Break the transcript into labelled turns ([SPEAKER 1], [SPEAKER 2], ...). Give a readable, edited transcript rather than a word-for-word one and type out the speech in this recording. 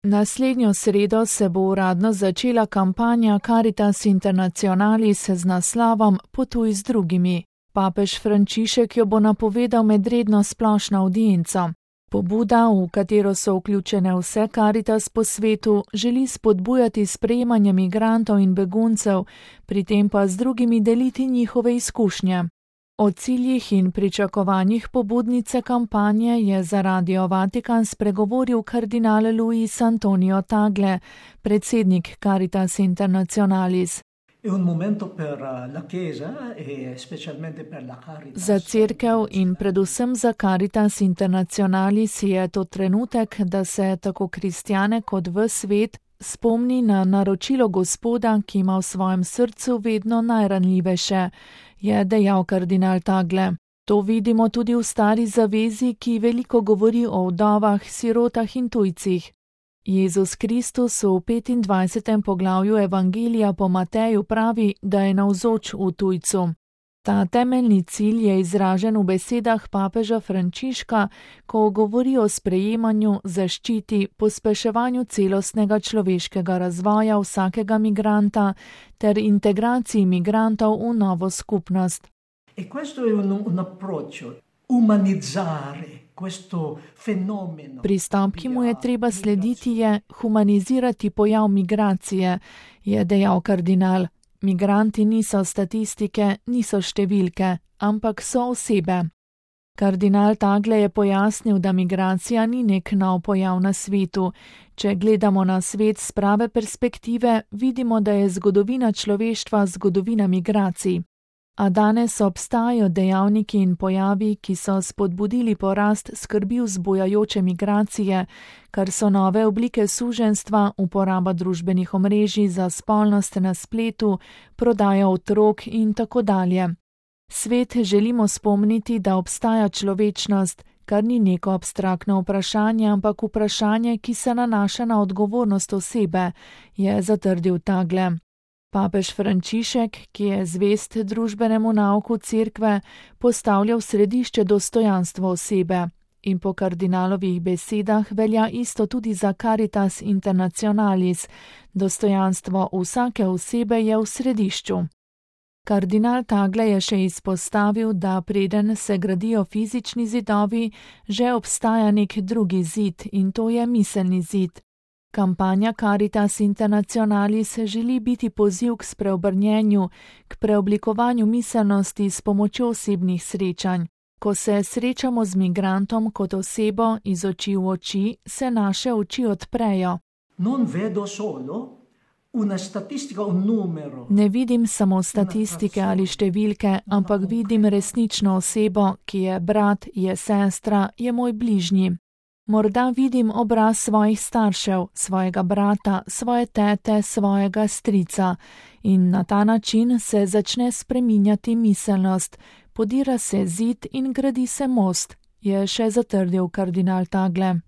[SPEAKER 1] Naslednjo sredo se bo uradno začela kampanja Caritas Internationalis z naslovom Potuj z drugimi. Papež Frančišek jo bo napovedal med redno splošno avdienco. Pobuda, v katero so vključene vse Caritas po svetu, želi spodbujati sprejemanje migrantov in beguncev, pri tem pa z drugimi deliti njihove izkušnje. O ciljih in pričakovanjih pobudnice kampanje je za Radio Vatikan spregovoril kardinal Luis Antonio Tagle, predsednik Caritas Internationalis. Za cerkev in predvsem za Caritas Internationalis je to trenutek, da se tako kristjane kot ves svet spomni na naročilo Gospoda, ki ima v svojem srcu vedno najranljivejše, je dejal kardinal Tagle. To vidimo tudi v Stari zavezi, ki veliko govori o vdovah, sirotah in tujcih. Jezus Kristus v 25. poglavju Evangelija po Mateju pravi, da je navzoč v tujcu. Ta temeljni cilj je izražen v besedah papeža Frančiška, ko govori o sprejemanju, zaščiti, pospeševanju celostnega človeškega razvoja vsakega migranta ter integraciji migrantov v novo skupnost. Pristop, ki mu je treba slediti, je humanizirati pojav migracije, je dejal kardinal. Migranti niso statistike, niso številke, ampak so osebe. Kardinal Tagle je pojasnil, da migracija ni nek nov pojav na svetu. Če gledamo na svet s prave perspektive, vidimo, da je zgodovina človeštva zgodovina migracij. A danes obstajajo dejavniki in pojavi, ki so spodbudili porast skrbi vzbujajoče migracije, kar so nove oblike suženjstva, uporaba družbenih omrežij za spolnost na spletu, prodaja otrok in tako dalje. Svet želimo spomniti, da obstaja človečnost, kar ni neko abstraktno vprašanje, ampak vprašanje, ki se nanaša na odgovornost osebe, je zatrdil Tagle. Papež Frančišek, ki je zvest družbenemu nauku cerkve, postavlja v središče dostojanstvo osebe in po kardinalovih besedah velja isto tudi za Caritas Internationalis. Dostojanstvo vsake osebe je v središču. Kardinal Tagle je še izpostavil, da preden se gradijo fizični zidovi, že obstaja nek drugi zid in to je miselni zid. Kampanja Caritas Internationalis želi biti poziv k spreobrnjenju, k preoblikovanju miselnosti s pomočjo osebnih srečanj. Ko se srečamo z migrantom kot osebo iz oči v oči, se naše oči odprejo. Ne vidim samo statistike ali številke, ampak vidim resnično osebo, ki je brat, je sestra, je moj bližnji. Morda vidim obraz svojih staršev, svojega brata, svoje tete, svojega strica in na ta način se začne spreminjati miselnost, podira se zid in gradi se most, je še zatrdil kardinal Tagle.